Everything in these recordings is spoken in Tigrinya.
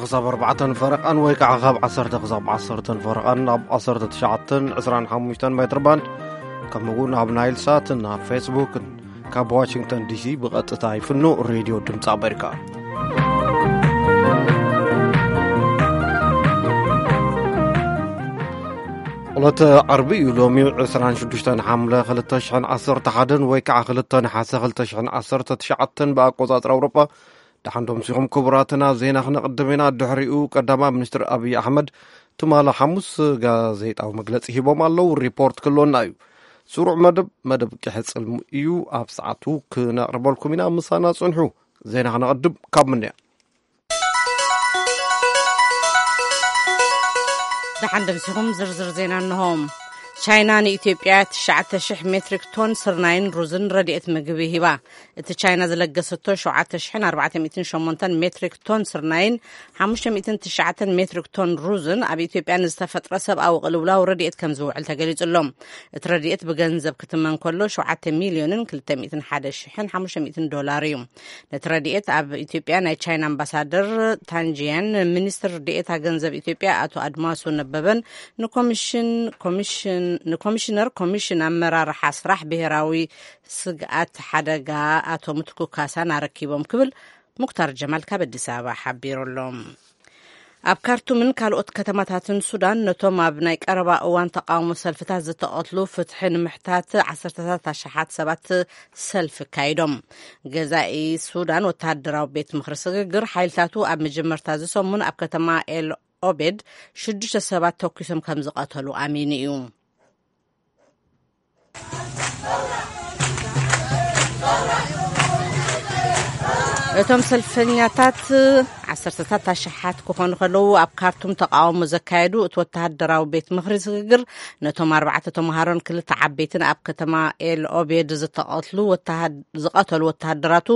ክሳብ ኣርባዕተን ፈረቓን ወይ ከዓ ካብ ዓሰርተ ክሳብ ዓሰርተን ፈረቓን ኣብ ዓሰርተ ትሽዓተን ዕስራን ሓሙሽተን ሜትር ባንድ፣ ከምኡ እውን ኣብ ናይል ሳትን ኣብ ፌስቡክን። ካብ ዋሽንግተን ዲሲ ብቐጥታ ይፍኖ ሬድዮ ድምፂ ኣሜሪካ። ዕለተ ዓርቢ እዩ ሎሚ ዕስራን ሽዱሽተን ሓምለ ክልተ ሽሕን ዓሰርተ ሓደን ወይ ከዓ ክልተ ነሓሰ ክልተ ሽሕን ዓሰርተ ትሽዓተን ብኣቆፃፅራ ኣውሮጳ። ደሓን ዶ ምሲኹም ክቡራትና፣ ዜና ክነቕድም ኢና። ድሕሪኡ ቀዳማይ ሚኒስትር ኣብይ ኣሕመድ ትማሊ ሓሙስ ጋዜጣዊ መግለጺ ሂቦም ኣለዉ። ሪፖርት ክህልወና እዩ። ስሩዕ መደብ፣ መደብ ክሕጽል እዩ። ኣብ ሰዓቱ ክነቕርበልኩም ኢና። ምሳና ጽንሑ። ዜና ክነቕድም ካብ ምንያ። ደሓን ዶ ምሲኹም፣ ዝርዝር ዜና እንሆ። ቻይና ንኢትዮጵያ ትሽዓተ ሽሕ ሜትሪክ ቶን ስርናይን ሩዝን ረድኤት ምግቢ ሂባ። እቲ ቻይና ዝለገሰቶ ሸውዓተ ሽሕን ኣርባዕተ ሚእትን ሸሞንተን ሜትሪክ ቶን ስርናይን ሓሙሽተ ሚእትን ትሽዓተን ሜትሪክ ቶን ሩዝን ኣብ ኢትዮጵያ ንዝተፈጥረ ሰብኣዊ ቅልውላው ረድኤት ከም ዝውዕል ተገሊጹ ኣሎ። እቲ ረድኤት ብገንዘብ ክትመን ከሎ ሸውዓተ ሚልዮንን ክልተ ሚእትን ሓደ ሽሕን ሓሙሽተ ሚእትን ዶላር እዩ። ነቲ ረድኤት ኣብ ኢትዮጵያ ናይ ቻይና ኣምባሳደር ታንጂያን፣ ሚኒስትር ዴኤታ ገንዘብ ኢትዮጵያ ኣቶ ኣድማሱ ነበበን ንኮሚሽን-፣ ኮሚሽን-፣ ንኮሚሽነር ኮሚሽን ኣመራርሓ ስራሕ ብሄራዊ ስግኣት ሓደጋ ኣቶ ምትኩ ካሳን ኣረኪቦም ክብል ሙክታር ጀማል ካብ ኣዲስ ኣበባ ሓቢሩ ኣሎ። ኣብ ካርቱምን ካልኦት ከተማታትን ሱዳን ነቶም ኣብ ናይ ቀረባ እዋን ተቃውሞ ሰልፍታት ዝተቐትሉ ፍትሒ ንምሕታት ዓሰርተታት ኣሽሓት ሰባት ሰልፊ ኣካይዶም። ገዛኢ ሱዳን ወተሃደራዊ ቤት ምኽሪ ስግግር ሓይልታቱ ኣብ መጀመርታ እዚ ሰሙን ኣብ ከተማ ኤል ኦቤድ ሽዱሽተ ሰባት ተኩሶም ከም ዝቐተሉ ኣሚኑ እዩ። እቶም ሰልፈኛታት ዓሰርተታት ኣሽሓት ክኾኑ ከለዉ ኣብ ካርቱም ተቃውሞ ዘካየዱ እቲ ወተሃደራዊ ቤት ምኽሪ ስግግር ነቶም ኣርባዕተ ተምሃሮን ክልተ ዓበይትን ኣብ ከተማ ኤል ኦቤድ ዝተቐትሉ ወተሃድ-፣ ዝቐተሉ ወተሃደራቱ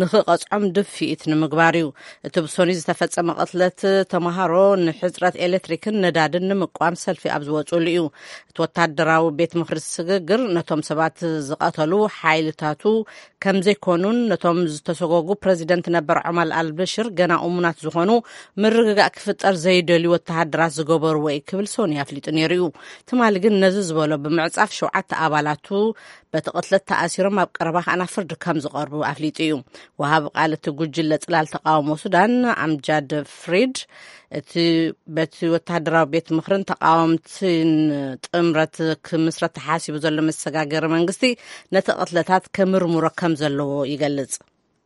ንኽቐጽዖም ድፍኢት ንምግባር እዩ። እቲ ብሶኒ ዝተፈጸመ ቅትለት ተምሃሮ ንሕጽረት ኤሌክትሪክን ነዳድን ንምቋም ሰልፊ ኣብ ዝወጽሉ እዩ። እቲ ወታደራዊ ቤት ምኽሪ ስግግር ነቶም ሰባት ዝቐተሉ ሓይልታቱ ከም ዘይኮኑን ነቶም ዝተሰጎጉ ፕረዚደንት ነበር ዑመር ኣልበሽር ገና እሙናት ዝኾኑ ምርግጋእ ክፍጠር ዘይደልዩ ወተሃደራት ዝገበርዎ እዩ ክብል ሶኒ ኣፍሊጡ ነይሩ እዩ። ትማሊ ግን ነዚ ዝበሎ ብምዕጻፍ ሸውዓተ ኣባላቱ በቲ ቅትለት ተኣሲሮም ኣብ ቀረባ ከኣ ናብ ፍርዲ ከም ዝቐርቡ ኣፍሊጡ እዩ። ወሃቢ ቃል እቲ ጉጅለ ጽላል ተቃውሞ ሱዳን ኣምጃድ ፍሪድ እቲ በቲ ወተሃደራዊ ቤት ምኽርን ተቃወምትን ጥምረት ክምስረት ተሓሲቡ ዘሎ መሰጋገሪ መንግስቲ ነቲ ቅትለታት ከምርምሮ ከም ዘለዎ ይገልጽ።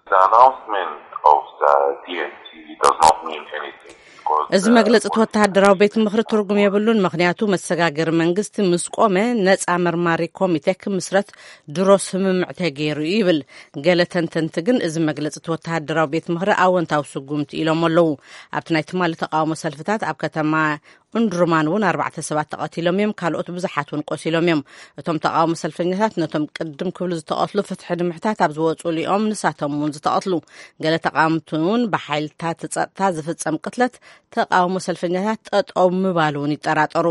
The announcement of the D N C does not mean anything because እዚ the መግለጺ እቲ ወተሃደራዊ ቤት ምኽሪ ትርጉም የብሉን፣ ምኽንያቱ መሰጋገሪ መንግስቲ ምስ ቆመ ነጻ መርማሪ ኮሚቴ ክምስረት ድሮ ስምምዕ ተገይሩ እዩ ይብል። ገለ ተንተንቲ ግን እዚ መግለጺ እቲ ወተሃደራዊ ቤት ምኽሪ ኣወንታዊ ስጉምቲ ኢሎም ኣለዉ። ኣብቲ ናይ ትማሊ ተቃውሞ ሰልፍታት ኣብ ከተማ እንድሩማን እውን ኣርባዕተ ሰባት ተቐቲሎም እዮም፣ ካልኦት ብዙሓት እውን ቆሲሎም እዮም። እቶም ተቃውሞ ሰልፈኛታት ነቶም ቅድም ክብሉ ዝተቐትሉ ፍትሒ ንምሕታት ኣብ ዝወፁ እዮም ንሳቶም እውን ዝተቐትሉ። ገለ ተቃወምቲ እውን ብሓይልታት ጸጥታ ዝፍጸም ቅትለት ተቃውሞ ሰልፈኛታት ጠጠው ምባል እውን ይጠራጠሩ።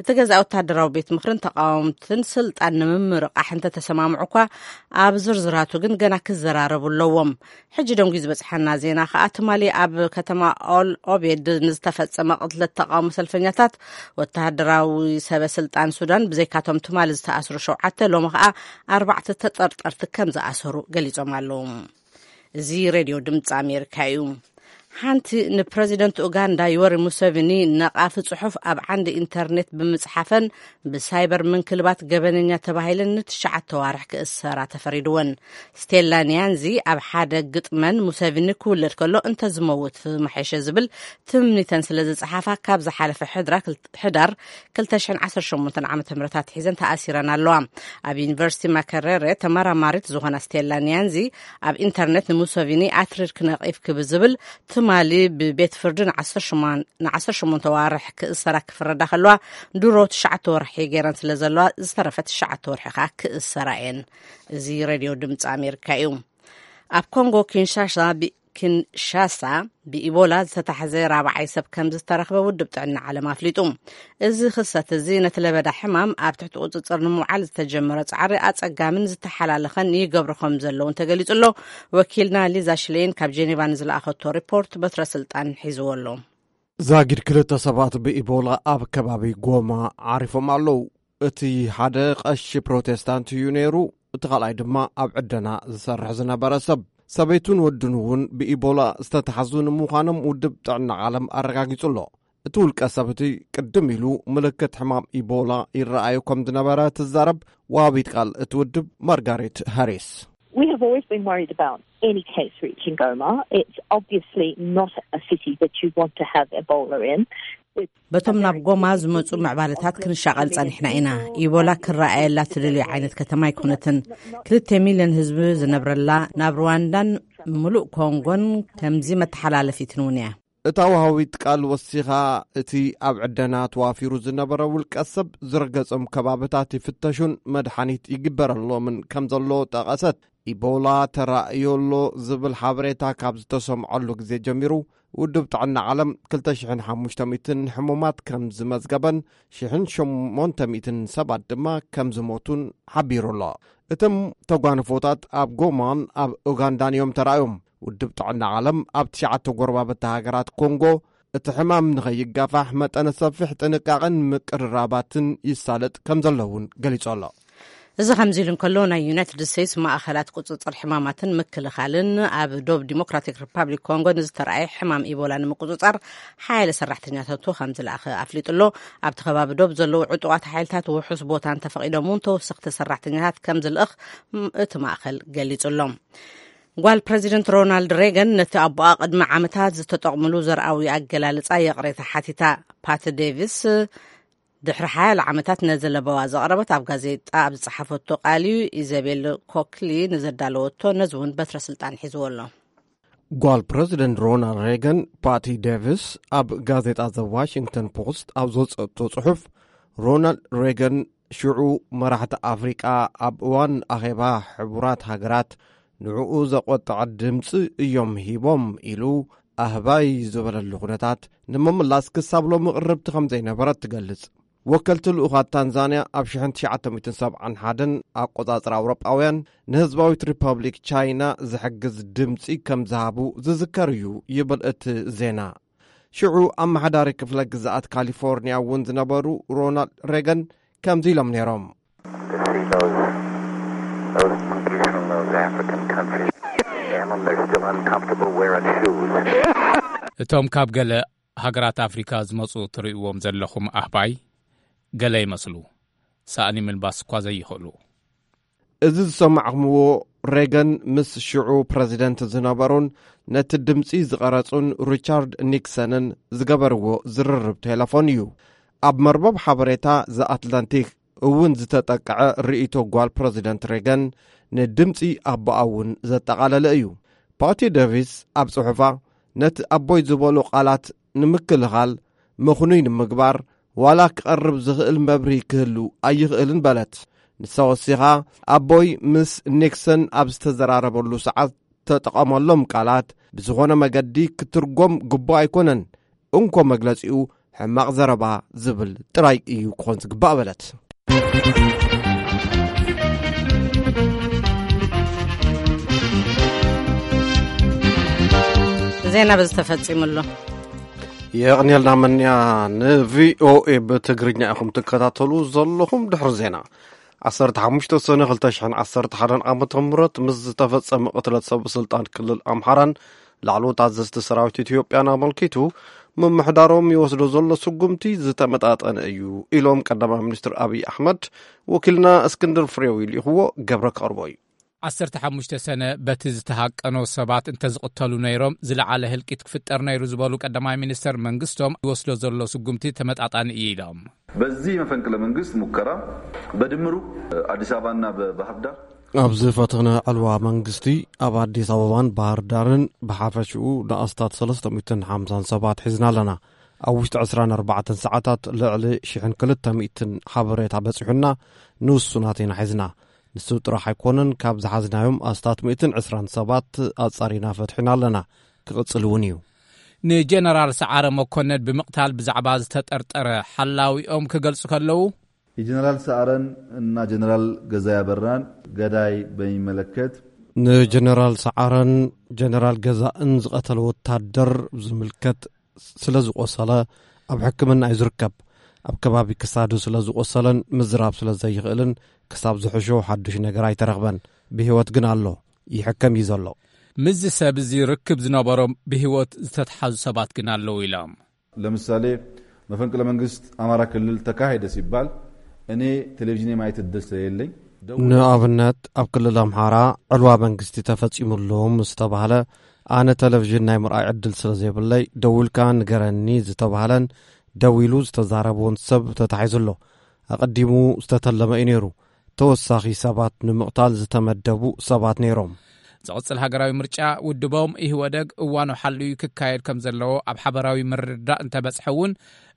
እቲ ገዛ ወታደራዊ ቤት ምኽርን ተቃወምትን ስልጣን ንምምርቃሕ እንተተሰማምዑ እኳ ኣብ ዝርዝራቱ ግን ገና ክዘራረቡ ኣለዎም። ሕጂ ደንጉ ዝበጽሓና ዜና ከኣ ትማሊ ኣብ ከተማ ኦል ኦቤድ ንዝተፈጸመ ቅትለት ተቃውሞ ሰልፈኛታት ወተሃደራዊ ሰበ ስልጣን ሱዳን ብዘይካቶም ትማሊ ዝተኣስሩ ሸውዓተ ሎሚ ከኣ ኣርባዕተ ተጠርጠርቲ ከም ዝኣሰሩ ገሊጾም ኣለዉ። እዚ ሬድዮ ድምፂ ኣሜሪካ እዩ። ሓንቲ ንፕረዚደንት ኡጋንዳ ዮወሪ ሙሰቪኒ ነቓፊ ጽሑፍ ኣብ ዓንዲ ኢንተርኔት ብምጽሓፈን ብሳይበር ምንክልባት ገበነኛ ተባሂለን ንትሽዓተ ዋርሕ ክእሰራ ተፈሪድወን። ስቴላ ኒያንዚ ኣብ ሓደ ግጥመን ሙሰቪኒ ክውለድ ከሎ እንተዝመውት መሐሸ ዝብል ትምኒተን ስለ ዝጸሓፋ ካብ ዝሓለፈ ሕድራ ክል-፣ ሕዳር ክልተ ሽሕን ዓሰርተ ሸሞንተን ዓመተ ምህረት ኣትሒዘን ተኣሲረን ኣለዋ። ኣብ ዩኒቨርሲቲ ማከረረ ተመራማሪት ዝኾና ስቴላ ኒያንዚ ኣብ ኢንተርኔት ንሙሰቪኒ ኣትሪርክ ነቒፍክ ብዝብል ትማሊ ብቤት ፍርዲ ንዓሰርተ ሸሞንተ፣ ንዓሰርተ ሸሞንተ ዋርሕ ክእሰራ ክፍረዳ ከለዋ ድሮ ትሽዓተ ወርሒ ገይረን ስለ ዘለዋ ዝተረፈ ትሽዓተ ወርሒ ከኣ ክእሰራ እየን። እዚ ሬድዮ ድምፂ ኣሜሪካ እዩ። ኣብ ኮንጎ ኪንሻሳ ብ-፣ ኪንሻሳ ብኢቦላ ዝተታሕዘ ራብዓይ ሰብ ከም ዝተረኽበ ውድብ ጥዕና ዓለም ኣፍሊጡ። እዚ ክስተት እዚ ነቲ ለበዳ ሕማም ኣብ ትሕቲ ቁጽጽር ንምውዓል ዝተጀመረ ጻዕሪ ኣጸጋምን ዝተሓላለኸን ይገብሮ ከም ዘለውን ተገሊጹ ኣሎ። ወኪልና ሊዛ ሽሌን ካብ ጄኔቫ ንዝለኣኸቶ ሪፖርት በትረ ስልጣን ሒዝዎ ኣሎ። ዛጊድ ክልተ ሰባት ብኢቦላ ኣብ ከባቢ ጎማ ዓሪፎም ኣለዉ። እቲ ሓደ ቀሺ ፕሮቴስታንት እዩ ነይሩ፣ እቲ ካልኣይ ድማ ኣብ ዕደና ዝሰርሕ ዝነበረ ሰብ። ሰበይቱን ወዱን እውን ብኢቦላ ዝተታሕዙ ንምዃኖም ውድብ ጥዕና ዓለም ኣረጋጊጹ ኣሎ። እቲ ውልቀ ሰብ እቲ ቅድም ኢሉ ምልክት ሕማም ኢቦላ ይረኣዩ ከም ዝነበረ ትዛረብ ወሃቢት ቃል እቲ ውድብ ማርጋሬት ሃሪስ። We have always been worried about any case reaching Goma. It's obviously not a city that you want to have Ebola in. በቶም ናብ ጎማ ዝመጹ ምዕባለታት ክንሻቐል ጸኒሕና ኢና። ኢቦላ ክረኣየላ ትደልዮ ዓይነት ከተማ ኣይኮነትን። ክልተ ሚልዮን ህዝቢ ዝነብረላ፣ ናብ ሩዋንዳን ምሉእ ኮንጎን ከምዚ መተሓላለፊትን እውን እያ። እታ ወሃቢት ቃል ወሲኻ፣ እቲ ኣብ ዕደና ተዋፊሩ ዝነበረ ውልቀ ሰብ ዝረገጾም ከባብታት ይፍተሹን መድሓኒት ይግበረሎምን ከም ዘሎ ጠቐሰት። ኢቦላ ተራእዮ ኣሎ ዝብል ሓበሬታ ካብ ዝተሰምዐሉ ግዜ ጀሚሩ፣ ውድብ ጥዕና ዓለም ክልተ ሽሕን ሓሙሽተ ሚእትን ሕሙማት ከም ዝመዝገበን ሽሕን ሸሞንተ ሚእትን ሰባት ድማ ከም ዝሞቱን ሓቢሩ ኣሎ። እቶም ተጓንፎታት ኣብ ጎማን ኣብ ኡጋንዳን እዮም ተራእዮም። ውድብ ጥዕና ዓለም ኣብ ትሽዓተ ጎረባብቲ ሃገራት ኮንጎ እቲ ሕማም ንኸይጋፋሕ መጠነ ሰፊሕ ጥንቃቐን ምቅርራባትን ይሳለጥ ከም ዘሎ እውን ገሊጹ ኣሎ። እዚ ከምዚ ኢሉ እንከሎ፣ ናይ ዩናይትድ ስቴትስ ማእኸላት ቁጽጽር ሕማማትን ምክልኻልን ኣብ ዶብ ዲሞክራቲክ ሪፓብሊክ ኮንጎ ንዝተረኣየ ሕማም ኢቦላ ንምቁጽጻር ሓያለ ሰራሕተኛታቱ ከም ዝለኣኸ ኣፍሊጡ ኣሎ። ኣብቲ ከባቢ ዶብ ዘለዉ ዕጡቓት ሓይልታት ውሑስ ቦታ እንተፈቒዶም እውን ተወሰኽቲ ሰራሕተኛታት ከም ዝልእኽ ም-፣ እቲ ማእኸል ገሊጹ ኣሎ። ጓል ፕረዚደንት ሮናልድ ሬገን ነቲ ኣቦኣ ቅድሚ ዓመታት ዝተጠቕምሉ ዘርኣዊ ኣገላልጻ ይቕሬታ ሓቲታ። ፓት ዴቪስ ድሕሪ ሓያለ ዓመታት ነዚ ለበዋ ዘቕረበት ኣብ ጋዜጣ ኣብ ዝጸሓፈቶ ቃል እዩ። ኢዘቤል ኮክሊ ንዘዳለወቶ ነዚ እውን በትረ ስልጣን ሒዝዎ ኣሎ። ጓል ፕረዚደንት ሮናልድ ሬገን ፓቲ ዴቪስ ኣብ ጋዜጣ ዘ ዋሽንግተን ፖስት ኣብ ዘውጸእቶ ጽሑፍ፣ ሮናልድ ሬገን ሽዑ መራሕቲ ኣፍሪቃ ኣብ እዋን ኣኼባ ሕቡራት ሃገራት ንዕኡ ዘቆጥዐ ድምፂ እዮም ሂቦም ኢሉ ኣህባይ ዝበለሉ ኩነታት ንምምላስ ክሳብ ሎሚ ቅርብቲ ከም ዘይነበረት ትገልጽ። ወከልቲ ልኡኻት ታንዛንያ ኣብ ሽሕን ትሽዓተ ሚእትን ሰብዓን ሓደን ኣቆጻጽራ ኣውሮጳውያን ንህዝባዊት ሪፐብሊክ ቻይና ዝሕግዝ ድምፂ ከም ዝሃቡ ዝዝከር እዩ ይብል እቲ ዜና። ሽዑ ኣመሓዳሪ ክፍለ ግዝኣት ካሊፎርኒያ እውን ዝነበሩ ሮናልድ ሬገን ከምዚ ኢሎም ነይሮም። To see those, those monkeys from those African countries, and they're still uncomfortable wearing shoes. እቶም ካብ ገለ ሃገራት ኣፍሪካ ዝመፁ ትርእይዎም ዘለኹም ኣህባይ ገለ ይመስሉ፣ ሳእኒ ምልባስ እኳ ዘይኽእሉ። እዚ ዝሰማዕኹምዎ ሬገን ምስ ሽዑ ፕረዚደንት ዝነበሩን ነቲ ድምፂ ዝቐረጹን ሪቻርድ ኒክሰንን ዝገበርዎ ዝርርብ ቴሌፎን እዩ። ኣብ መርበብ ሓበሬታ ዘ ኣትላንቲክ እውን ዝተጠቅዐ ርእይቶ ጓል ፕረዚደንት ሬገን ንድምፂ ኣቦኣ እውን ዘጠቓለለ እዩ። ፓቲ ዴቪስ ኣብ ጽሑፋ፣ ነቲ ኣቦይ ዝበሎ ቃላት ንምክልኻል፣ ምኽኑይ ንምግባር፣ ዋላ ክቐርብ ዝኽእል መብርሂ ክህሉ ኣይኽእልን በለት። ንሳ ወሲኻ፣ ኣቦይ ምስ ኒክሰን ኣብ ዝተዘራረበሉ ሰዓት ተጠቐመሎም ቃላት ብዝኾነ መገዲ ክትርጎም ግቡእ ኣይኮነን። እንኮ መግለጺኡ ሕማቕ ዘረባ ዝብል ጥራይ እዩ ክኾን ዝግባእ በለት። ዜና በዚ ተፈጺሙ ኣሎ። የቕንየልና መንያ። ንቪኦኤ ብትግርኛ ኢኹም ትከታተሉ ዘለኹም። ድሕሪ ዜና ዓሰርተ ሓሙሽተ ሰነ ክልተ ሽሕን ዓሰርተ ሓደን ዓመተ ምህረት ምስ ዝተፈጸመ ቅትለት ሰብ ስልጣን ክልል ኣምሓራን ላዕለዎት ኣዘዝቲ ሰራዊት ኢትዮጵያን ኣመልኪቱ፣ ምምሕዳሮም ይወስዶ ዘሎ ስጉምቲ ዝተመጣጠነ እዩ ኢሎም ቀዳማይ ሚኒስትር ኣብይ ኣሕመድ። ወኪልና እስክንድር ፍሬው ይልእኽዎ፣ ገብረ ከቕርቦ እዩ። ዓሰርተ ሓሙሽተ ሰነ በቲ ዝተሃቀኖ ሰባት እንተዝቕተሉ ነይሮም ዝለዓለ ህልቂት ክፍጠር ነይሩ ዝበሉ ቀዳማይ ሚኒስተር መንግስቶም ይወስዶ ዘሎ ስጉምቲ ተመጣጣኒ እዩ ኢሎም። በዚህ መፈንቅለ መንግስት ሙከራ በድምሩ አዲስ አበባና በባህር ዳር ኣብዚ ፈተነ ዕልዋ መንግስቲ ኣብ ኣዲስ ኣበባን ባህር ዳርን ብሓፈሽኡ ንኣስታት ሰለስተ ሚእትን ሓምሳን ሰባት ሒዝና ኣለና። ኣብ ውሽጢ ዕስራን ኣርባዕተን ሰዓታት ልዕሊ ሽሕን ክልተ ሚእትን ሓበሬታ በጺሑና፣ ንውሱናት ኢና ሒዝና። ንሱ ጥራሕ ኣይኮነን፣ ካብ ዝሓዝናዮም ኣስታት ሚእትን ዕስራን ሰባት ኣጻሪና ፈትሒና ኣለና። ክቕጽል እውን እዩ። ንጀነራል ሰዓረ መኮነን ብምቕታል ብዛዕባ ዝተጠርጠረ ሓላዊኦም ክገልጹ ከለዉ፣ የጀነራል ሰዓረን እና ጀነራል ገዛኢ ኣበራን ገዳይ በሚመለከት፣ ንጀነራል ሰዓረን ጀነራል ገዛእን ዝቐተለ ወታደር ዝምልከት፣ ስለ ዝቆሰለ ኣብ ሕክምና እዩ ዝርከብ። ኣብ ከባቢ ክሳዱ ስለ ዝቆሰለን ምዝራብ ስለ ዘይኽእልን፣ ክሳብ ዝሕሾ ሓዱሽ ነገር ኣይተረኽበን። ብህይወት ግን ኣሎ፣ ይሕከም እዩ ዘሎ። ምስዚ ሰብ እዚ ርክብ ዝነበሮም ብህይወት ዝተትሓዙ ሰባት ግን ኣለዉ ኢሎም። ለምሳሌ፣ መፈንቅለ መንግስት አማራ ክልል ተካሄደ ሲባል እኔ ቴሌቪዥን የማየት እድል ስለሌለኝ፣ ንኣብነት፣ ኣብ ክልል ኣምሓራ ዕልዋ መንግስቲ ተፈጺሙሎም ዝተባህለ፣ ኣነ ቴሌቪዥን ናይ ምርኣይ ዕድል ስለ ዘይብለይ፣ ደዊልካ ንገረኒ ዝተባህለን ደዊሉ ዝተዛረበውን ሰብ ተታሒዙ ኣሎ። ኣቐዲሙ ዝተተለመ እዩ ነይሩ። ተወሳኺ ሰባት ንምቕታል ዝተመደቡ ሰባት ነይሮም። ዝቕጽል ሃገራዊ ምርጫ ውድቦም ኢህወደግ እዋኑ ሓልዩ ክካየድ ከም ዘለዎ ኣብ ሓበራዊ ምርድዳእ እንተበጽሐ እውን፣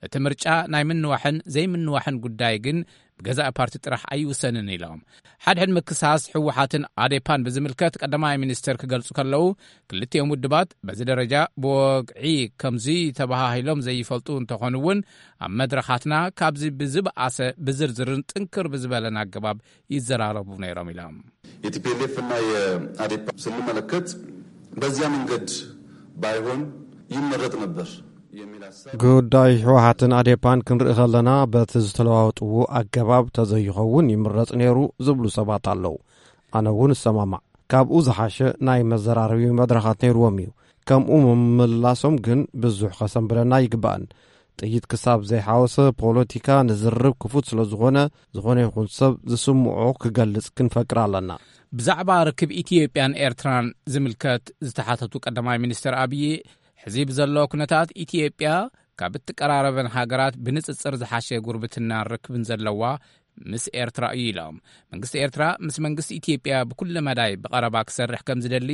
እቲ ምርጫ ናይ ምንዋሕን ዘይምንዋሕን ጉዳይ ግን ብገዛኢ ፓርቲ ጥራሕ ኣይውሰንን ኢሎም። ሓድሕድ ምክሳስ ህወሓትን ኣዴፓን ብዝምልከት ቀዳማይ ሚኒስትር ክገልጹ ከለዉ፣ ክልቲኦም ውድባት በዚ ደረጃ ብወግዒ ከምዚ ተባሃሂሎም ዘይፈልጡ እንተኾኑ እውን፣ ኣብ መድረኻትና ካብዚ ብዝበኣሰ ብዝርዝርን ጥንክር ብዝበለን ኣገባብ ይዘራረቡ ነይሮም ኢሎም። የቲፒኤልኤፍ እና የአዴፓ ስንመለከት በዚያ መንገድ ባይሆን ይመረጥ ነበር የሚል ሀሳብ ጉዳይ ህወሓትን ኣዴፓን ክንርኢ ከለና፣ በቲ ዝተለዋወጥዎ ኣገባብ ተዘይኸውን ይምረጽ ነይሩ ዝብሉ ሰባት ኣለዉ። ኣነ እውን እሰማማዕ። ካብኡ ዝሓሸ ናይ መዘራረቢ መድረኻት ነይርዎም እዩ። ከምኡ ምምላሶም ግን ብዙሕ ከሰንብደና ይግባእን። ጥይት ክሳብ ዘይሓወሰ ፖለቲካ ንዝርብ ክፉት ስለ ዝኾነ፣ ዝኾነ ይኹን ሰብ ዝስምዖ ክገልጽ ክንፈቅድ ኣለና። ብዛዕባ ርክብ ኢትዮጵያን ኤርትራን ዝምልከት ዝተሓተቱ ቀዳማይ ሚኒስትር ኣብዪ፣ ሕዚ ብዘሎ ኩነታት ኢትዮጵያ ካብ እትቀራረበን ሃገራት ብንጽጽር ዝሓሸ ጉርብትናን ርክብን ዘለዋ ምስ ኤርትራ እዩ ኢሎም። መንግስቲ ኤርትራ ምስ መንግስቲ ኢትዮጵያ ብኩለ መዳይ ብቐረባ ክሰርሕ ከም ዝደሊ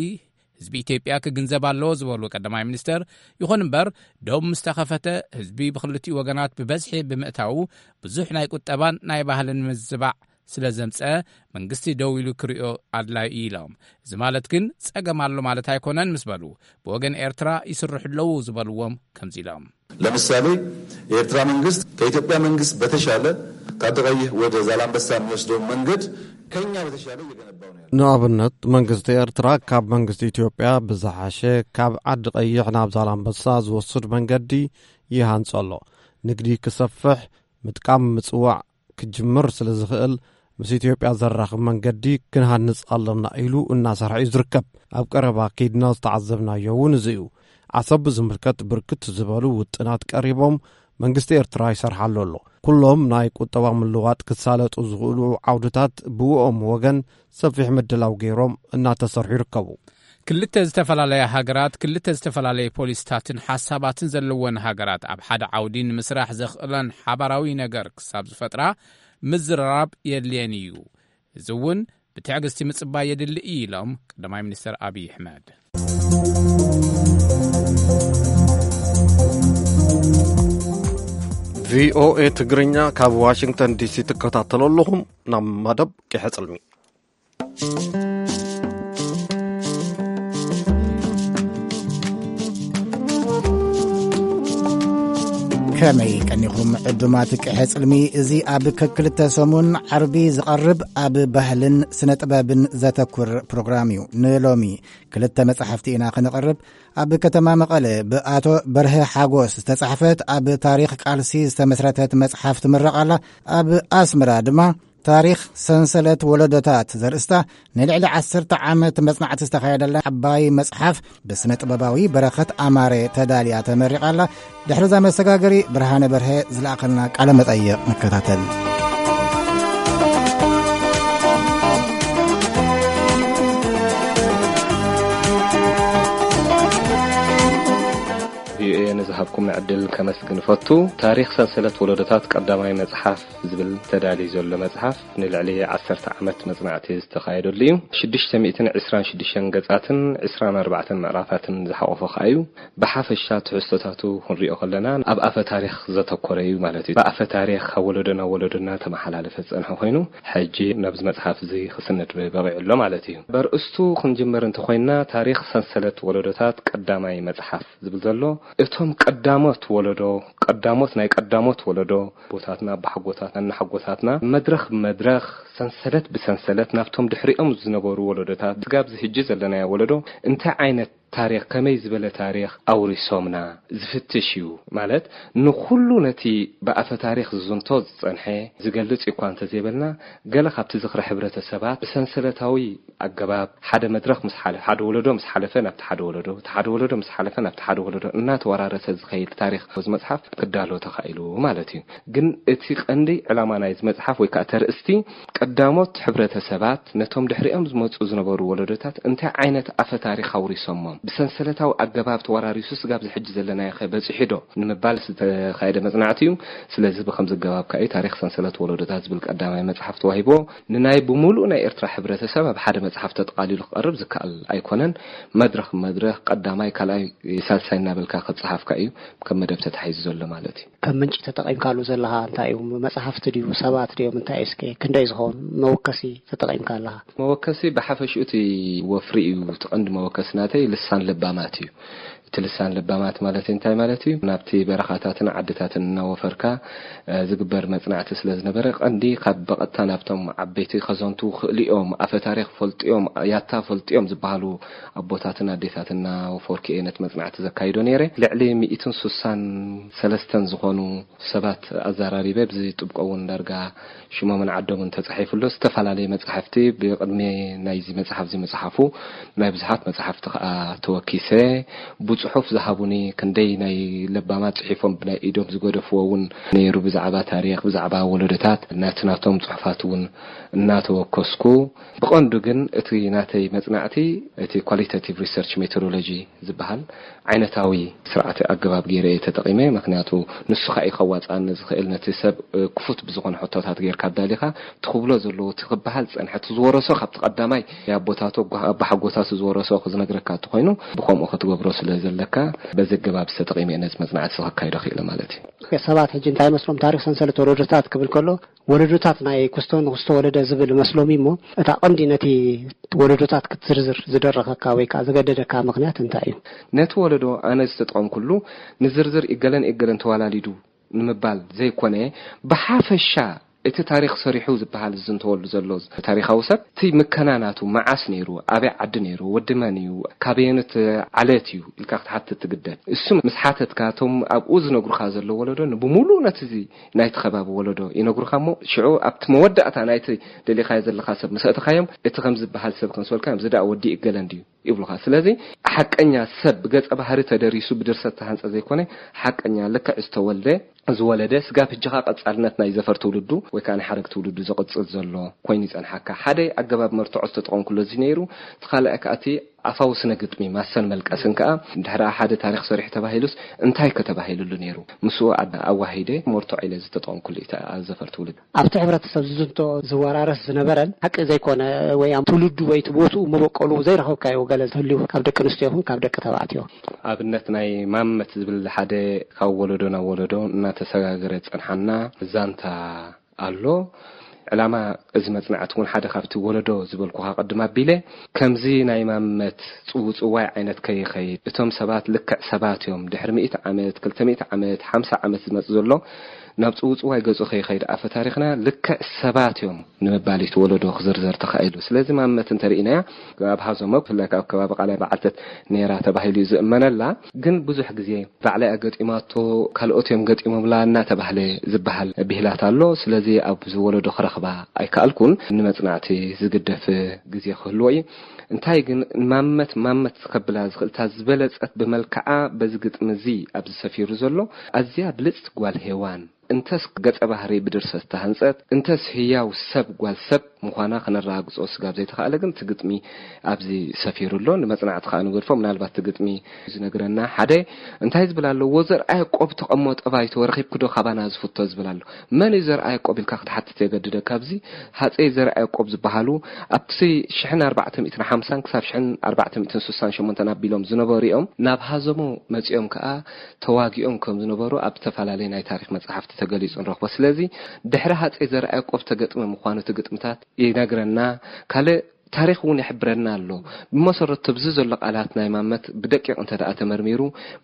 ህዝቢ ኢትዮጵያ ክግንዘብ ኣለዎ ዝበሉ ቀዳማይ ሚኒስትር፣ ይኹን እምበር፣ ዶብ ምስ ተኸፈተ ህዝቢ ብክልቲኡ ወገናት ብበዝሒ ብምእታዉ ብዙሕ ናይ ቁጠባን ናይ ባህልን ምዝባዕ ስለ ዘምጸ፣ መንግስቲ ደው ኢሉ ክሪኦ ኣድላዩ እዩ ኢሎም። እዚ ማለት ግን ጸገም ኣሎ ማለት ኣይኮነን ምስ በሉ፣ ብወገን ኤርትራ ይስርሑ ኣለዉ ዝበልዎም ከምዚ ኢሎም። ለምሳሌ፣ የኤርትራ መንግስት ከኢትዮጵያ መንግስት በተሻለ ከአዲ ቀይህ ወደ ዛላምበሳ የሚወስደውን መንገድ ከኛ በተሻለ እየገነባው ነው ያለው። ንኣብነት፣ መንግስቲ ኤርትራ ካብ መንግስቲ ኢትዮጵያ ብዝሓሸ ካብ ዓዲ ቀይሕ ናብ ዛላምበሳ ዝወስድ መንገዲ ይሃንጾ ኣሎ። ንግዲ ክሰፍሕ፣ ምጥቃም ምጽዋዕ ክጅምር ስለ ዝኽእል፣ ምስ ኢትዮጵያ ዘራኽብ መንገዲ ክንሃንጽ ኣለና ኢሉ እናሰርሐ እዩ ዝርከብ። ኣብ ቀረባ ከይድና ዝተዓዘብናዮ እውን እዚ እዩ። ዓሰብ ብዝምልከት ብርክት ዝበሉ ውጥናት ቀሪቦም መንግስቲ ኤርትራ ይሰርሓሉ ኣሎ። ኩሎም ናይ ቁጠባ ምልዋጥ ክሳለጡ ዝኽእሉ ዓውድታት ብእኦም ወገን ሰፊሕ ምድላው ገይሮም እናተሰርሑ ይርከቡ። ክልተ ዝተፈላለያ ሃገራት፣ ክልተ ዝተፈላለየ ፖሊስታትን ሓሳባትን ዘለወን ሃገራት ኣብ ሓደ ዓውዲ ንምስራሕ ዘኽእለን ሓባራዊ ነገር ክሳብ ዝፈጥራ ምዝርራብ የድልየን እዩ። እዚ እውን ብትዕግስቲ ምጽባይ የድሊ እዩ ኢሎም ቀዳማይ ሚኒስትር ኣብይ ኣሕመድ። ቪኦኤ ትግርኛ ካብ ዋሽንግተን ዲሲ ትከታተሉ ኣለኹም። ናብ መደብ ቂሐ ጽልሚ። ከመይ ቀኒኹም ዕዱማት ቅሐ ጽልሚ? እዚ ኣብ ከክልተ ሰሙን ዓርቢ ዝቐርብ ኣብ ባህልን ስነ ጥበብን ዘተኩር ፕሮግራም እዩ። ንሎሚ ክልተ መጻሕፍቲ ኢና ክነቕርብ። ኣብ ከተማ መቐለ ብኣቶ በርሀ ሓጎስ ዝተጻሕፈት ኣብ ታሪኽ ቃልሲ ዝተመስረተት መጽሓፍ ትምረቕ ኣላ። ኣብ ኣስመራ ድማ ታሪኽ ሰንሰለት ወለዶታት ዘርእስታ ንልዕሊ ዓሰርተ ዓመት መጽናዕቲ ዝተኻየደላ ዓባይ መጽሓፍ ብስነ ጥበባዊ በረኸት ኣማረ ተዳልያ ተመሪቓ ኣላ። ድሕሪ እዛ መሰጋገሪ ብርሃነ በርሀ ዝለኣኸልና ቃለ መጠይቕ ንከታተል። ቪኦኤ ነዚ ኣብኩም ዕድል ከመስግን እፈቱ። ታሪኽ ሰንሰለት ወለዶታት ቀዳማይ መጽሓፍ ዝብል ተዳልዩ ዘሎ መጽሓፍ ንልዕሊ ዓሰርተ ዓመት መጽናዕቲ ዝተኻየደሉ እዩ። ሽዱሽተ ሚእትን ዕስራን ሽዱሽተን ገጻትን ዕስራን ኣርባዕተን ምዕራፋትን ዝሓቖፈ ከኣ እዩ። ብሓፈሻ ትሕዝቶታቱ ክንሪኦ ከለና ኣብ ኣፈ ታሪኽ ዘተኮረ እዩ ማለት እዩ። ብኣፈ ታሪኽ ካብ ወለዶ ናብ ወለዶ እናተመሓላለፈ ዝጸንሐ ኮይኑ፣ ሕጂ ናብዚ መጽሓፍ እዚ ክስነድ በቒዑ ኣሎ ማለት እዩ። በርእስቱ ክንጅምር እንተኾይንና፣ ታሪኽ ሰንሰለት ወለዶታት ቀዳማይ መጽሓፍ ዝብል ዘሎ፣ እቶም ቀዳሞት ወለዶ፣ ቀዳሞት ናይ ቀዳሞት ወለዶ፣ ኣቦታትና፣ ኣቦሓጎታትና፣ እናሓጎታትና፣ መድረኽ ብመድረኽ፣ ሰንሰለት ብሰንሰለት፣ ናብቶም ድሕሪኦም ዝነበሩ ወለዶታት፣ ስጋብ ዝሕጂ ዘለናዮ ወለዶ፣ እንታይ ዓይነት ታሪኽ፣ ከመይ ዝበለ ታሪኽ ኣውሪሶምና ዝፍትሽ እዩ። ማለት፣ ንኹሉ ነቲ ብኣፈ ታሪኽ ዝዝንቶ ዝጸንሐ ዝገልጽ እኳ እንተዘይበልና፣ ገለ ካብቲ ዝኽሪ ሕብረተሰባት ብሰንሰለታዊ ኣገባብ ሓደ መድረኽ ምስ ሓለፈ፣ ሓደ ወለዶ ምስ ሓለፈ ናብቲ ሓደ ወለዶ፣ እቲ ሓደ ወለዶ ምስ ሓለፈ ናብቲ ሓደ ወለዶ እናተወራረሰ ዝኸይድ ታሪኽ እዚ መጽሓፍ ክዳሎ ተኻኢሉ ማለት እዩ። ግን እቲ ቀንዲ ዕላማ ናይዚ መጽሓፍ ወይ ከኣ ተርእስቲ ቀዳሞት ሕብረተሰባት ነቶም ድሕሪኦም ዝመጹ ዝነበሩ ወለዶታት እንታይ ዓይነት ኣፈ ታሪኽ ኣውሪሶሞም፣ ብሰንሰለታዊ ኣገባብ ተወራሪሱ ስጋብ ዝሕጂ ዘለናዮ ከ በጺሑ ዶ ንምባል ዝተኻየደ መጽናዕቲ እዩ። ስለዚ ብኸምዚ ኣገባብ ከኣ እዩ ታሪኽ ሰንሰለት ወለዶታት ዝብል ቀዳማይ መጽሓፍ ተዋሂብዎ። ንናይ ብምሉእ ናይ ኤርትራ ሕብረተሰብ ኣብ ሓደ መጽሓፍ ተጠቓሊሉ ክቐርብ ዝከኣል ኣይኮነን። መድረኽ መድረኽ ቀዳማይ፣ ካልኣይ፣ ሳልሳይ እናበልካ ክጸሓፍካ እዩ ከም መደብ ተታሒዙ ዘሎ ማለት እዩ። ከም ምንጪ ተጠቒምካሉ ዘለኻ እንታይ እዩ? መጽሓፍቲ ድዩ? ሰባት ድዮም? እንታይ እዩ? እስከ ክንደይ ዝኸውን መወከሲ ተጠቒምካ ኣለኻ? መወከሲ ብሓፈሽኡ እቲ ወፍሪ እዩ። እቲ ቀንዲ መወከሲ ናተይ ልሳን ለባማት እዩ። እቲ ልሳን ለባማት ማለት እንታይ ማለት እዩ? ናብቲ በረኻታትን ዓድታትን እናወፈርካ፣ እ፣ ዝግበር መጽናዕቲ ስለ ዝነበረ፣ ቀንዲ ካብ ብቐጥታ ናብቶም ዓበይቲ ከዘንቱ ክእልኦም፣ ኣፈ ታሪኽ ፈልጥዮም፣ ያታ ፈልጥዮም ዝበሃሉ ኣቦታትን ኣዴታትን እናወፈርኩ እየ ነቲ መጽናዕቲ ዘካይዶ ነይረ። ልዕሊ ሚእትን ስሳን ሰለስተን ዝኾኑ ሰባት ኣዘራሪበ፣ ብዚ ጥብቆ እውን ዳርጋ ሽሞምን ዓዶምን ተጻሒፉ ኣሎ። ዝተፈላለየ መጻሕፍቲ ብቅድሚ ናይዚ መጽሓፍ እዚ ምጽሓፉ ናይ ብዙሓት መጻሕፍቲ ከኣ ተወኪሰ። ብጽሑፍ ዝሃቡኒ ክንደይ ናይ ለባማት ጽሒፎም ብናይ ኢዶም ዝገደፍዎ እውን ነይሩ። ብዛዕባ ታሪኽ፣ ብዛዕባ ወለዶታት ናቲ ናቶም ጽሑፋት እውን እናተወከስኩ፣ ብቐንዱ ግን እቲ ናተይ መጽናዕቲ እቲ ኳሊታቲቭ ሪሰርች ሜቶዶሎጂ ዝበሃል ዓይነታዊ ስርዓት ኣገባብ ገይረ እየ ተጠቒመ። ምኽንያቱ ንሱ ኸኣ እዩ ከዋጽኣኒ ዝኽእል። ነቲ ሰብ፣ እ፣ ክፉት ብዝኾነ ሕቶታት ጌርካ ኣዳሊኻ፣ እቲ ክብሎ ዘለዎ፣ እቲ ክበሃል ዝጸንሐ፣ እቲ ዝወረሶ ካብቲ ቀዳማይ ኣቦታቱ፣ ኣጓ-፣ ኣባሓጎታቱ ዝወረሶ ክዝነግረካ እንተኾይኑ፣ ብኸምኡ ክትገብሮ ስለ ዘለካ፣ በዚ ኣገባብ ተጠቒመ እየ ነዚ መጽናዕቲ እዚ ከካይዶ ክኢለ ማለት እዩ። ሰባት ሕጂ እንታይ መስሎም ታሪኽ ሰንሰለት ወለዶታት ክብል ከሎ፣ ወለዶታት ናይ ክስቶ ንክስቶ ወለደ ዝብል መስሎም እዩ እሞ፣ እታ ቀንዲ ነቲ ወለዶታት ክትዝርዝር ዝደረኸካ ወይ ከኣ ዘገደደካ ምኽንያት እንታይ እዩ? ነቲ ወለዶ ኣነ ዝተጠቐምኩሉ ንዝርዝር እገለን እገለን ተዋላሊዱ ንምባል ዘይኮነ፣ ብሓፈሻ እቲ ታሪኽ ሰሪሑ ዝበሃል ዝዝንተወሉ ዘሎ ታሪኻዊ ሰብ፣ እቲ ምከና ናቱ መዓስ ነይሩ፣ ኣበይ ዓዲ ነይሩ፣ ወዲ መን እዩ፣ ካበየኖት ዓሌት እዩ ኢልካ ክትሓትት ትግደድ። እሱ ምስ ሓተትካ፣ እቶም ኣብኡ ዝነግሩኻ ዘለዉ ወለዶ ንብምሉኡ ነቲ እዚ ናይቲ ከባቢ ወለዶ ይነግሩኻ እሞ፣ ሽዑ ኣብቲ መወዳእታ ናይቲ ደሊኻዮ ዘለኻ ሰብ ምስ ኣእተኻዮም፣ እቲ ከም ዝበሃል ሰብ ክንስበልካ እዮም፣ እዚ ደኣ ወዲ እገለ እንድዩ ይብሉኻ። ስለዚ ሓቀኛ ሰብ ብገጸ ባህሪ ተደሪሱ ብድርሰት ዝተሃንጸ ዘይኮነ፣ ሓቀኛ ልክዕ ዝተወልደ፣ ዝወለደ፣ ስጋብ ሕጂ ኸኣ ቀጻልነት ናይ ዘፈር ትውልዱ ወይ ከኣ ናይ ሓረግ ትውልዱ ዘቕጽል ዘሎ ኮይኑ ይጸንሓካ። ሓደ ኣገባብ መርትዖ ዝተጠቐምኩሉ እዚ ነይሩ። እቲ ካልኣይ ከኣ እቲ ኣፋዊ ስነ ግጥሚ ማሰን መልቀስን ከኣ፣ ድሕሪ ሓደ ታሪኽ ሰሪሑ ተባሂሉስ እንታይ ከተባሂሉሉ ነይሩ? ምስኡ ኣድ-፣ ኣዋሂደ መርትዖ ኢለ ዝተጠቐምኩሉ እዩ፣ እቲ ኣብ ዘፈር ትውልድ። ኣብቲ ሕብረተሰብ ዝዝንቶ ዝወራረስ ዝነበረን ሓቂ ዘይኮነ ወይ ኣብ ትውልዱ ወይ እቲ ቦትኡ መበቆሉ ዘይረኸብካዮ ገለ ዝህልዩ ካብ ደቂ ኣንስትዮ ይኹን ካብ ደቂ ተባዕትዮ? ኣብነት ናይ ማመት ዝብል ሓደ ካብ ወለዶ ናብ ወለዶ እናተሰጋገረ ዝጸንሓና ዛንታ ኣሎ። ዕላማ እዚ መጽናዕቲ እውን ሓደ ካብቲ ወለዶ ዝበልኩኻ ቅድም ኣቢለ፣ ከምዚ ናይ ማመት ጽውጽዋይ ዓይነት ከይኸይድ፣ እቶም ሰባት ልክዕ ሰባት እዮም፣ ድሕሪ ሚእቲ ዓመት፣ ክልተ ሚእቲ ዓመት፣ ሓምሳ ዓመት ዝመጽእ ዘሎ ናብ ጽውጽዋይ ገጹ ከይኸይድ፣ ኣፈ ታሪኽና ልክዕ ሰባት እዮም ንምባል እዩ እቲ ወለዶ ክዝርዘር ተኻኢሉ። ስለዚ ማመት እንተርኢናያ፣ ኣብ ሃዞሞ ብፍላይ ኣብ ከባቢ ቃላይ በዓልተት ነይራ ተባሂሉ እዩ ዝእመነላ። ግን ብዙሕ ግዜ ባዕላ እያ ገጢማቶ፣ ካልኦት እዮም ገጢሞምላ እናተባህለ ዝበሃል ብሂላት ኣሎ። ስለዚ ኣብዚ ወለዶ ክረኽባ ኣይከኣልኩን። ንመጽናዕቲ ዝግደፍ ግዜ ክህልዎ እዩ። እንታይ ግን ማመት ማመት ከብላ ዝኽእል፣ እታ ዝበለጸት ብመልክዓ በዚ ግጥሚ እዚ ኣብዚ ሰፊሩ ዘሎ፣ ኣዝያ ብልጽቲ ጓል ሄዋን እንተስ ገጸ ባህሪ ብድርሰት ዝተሃንጸት፣ እንተስ ህያው ሰብ ጓል ሰብ ምዃና ክነረጋግጾ ስጋብ ዘይተኻእለ ግን እቲ ግጥሚ ኣብዚ ሰፊሩ ኣሎ። ንመጽናዕቲ ከኣ ንገድፎ። ምናልባት እቲ ግጥሚ ዝነግረና ሓደ እንታይ ዝብል ኣሎ? "ወዘርኣ ያዕቆብ ተቐሞ ጠባይቶ ረኺብክዶ ካባና ዝፍቶ?" ዝብል ኣሎ። መን እዩ ዘርኣ ያዕቆብ ኢልካ ክትሓትት የገድደካ። ኣብዚ ሃጸይ ዘርኣ ያዕቆብ ዝበሃሉ ኣብቲ ሽሕን ኣርባዕተ ሚእትን ሓምሳን ክሳብ ሽሕን ኣርባዕተ ሚእትን ስሳን ሸሞንተን ኣቢሎም ዝነበሩ እዮም። ናብ ሃዘሞ መጺኦም ከኣ ተዋጊኦም ከም ዝነበሩ ኣብ ዝተፈላለየ ናይ ታሪኽ መጻሕፍቲ ተገሊጹ ንረኽቦ። ስለዚ ድሕሪ ሃጸይ ዘርኣ ያዕቆብ ተገጥመ ምዃኑ እቲ ግጥምታት ይነግረና። ካልእ ታሪኽ እውን ይሕብረና ኣሎ። ብመሰረቱ ኣብዚ ዘሎ ቃላት ናይ ማመት ብደቂቕ እንተ ደኣ ተመርሚሩ፣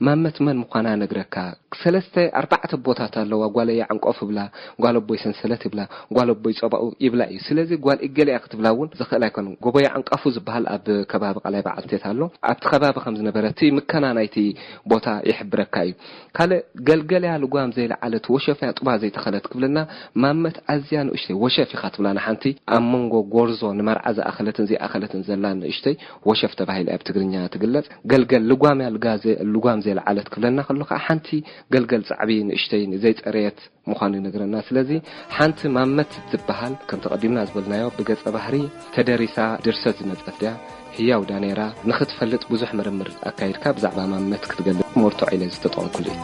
ማመት መን ምዃና ነግረካ። ሰለስተ ኣርባዕተ ቦታት ኣለዋ። ጓለይ ዓንቆፍ ይብላ፣ ጓል ኣቦይ ሰንሰለት ይብላ፣ ጓል ኣቦይ ጸባኡ ይብላ እዩ። ስለዚ ጓል እገለ እያ ክትብላ እውን ዝኽእል ኣይኮነን። ጎቦይ ዓንቃፉ ዝበሃል ኣብ ከባቢ ቃላይ በዓልቴት ኣሎ። ኣብቲ ከባቢ ከም ዝነበረ እቲ ምከና ናይቲ ቦታ ይሕብረካ እዩ። ካልእ ገልገል እያ ልጓም ዘይለዓለት፣ ወሸፍ እያ ጡባ ዘይተኸለት ክብለና ማመት ኣዝያ ንእሽተይ ወሸፍ ኢኻ ትብላ ንሓንቲ ኣብ መንጎ ጎርዞ ንመርዓ ዝኣኸለትን ዘይኣኸለትን ዘላ ንእሽተይ ወሸፍ ተባሂላ ኣብ ትግርኛ ትግለጽ። ገልገል ልጓም እያ ልጋ ዘ-፣ ልጓም ዘይለዓለት ክብለና ከሎ ከዓ ሓንቲ ገልገል ጻዕቢ ንእሽተይ ዘይጸረየት ምዃኑ ይነግረና። ስለዚ ሓንቲ ማመት ትበሃል ከም ተቐዲምና ዝበልናዮ ብገጸ ባህሪ ተደሪሳ ድርሰት ዝመጸት ድያ? ህያው ዳ ነይራ ንኽትፈልጥ ብዙሕ ምርምር ኣካይድካ ብዛዕባ ማመት ክትገልጽ መርትዖ ኢለ ዝተጠቐምኩሉ እዩ።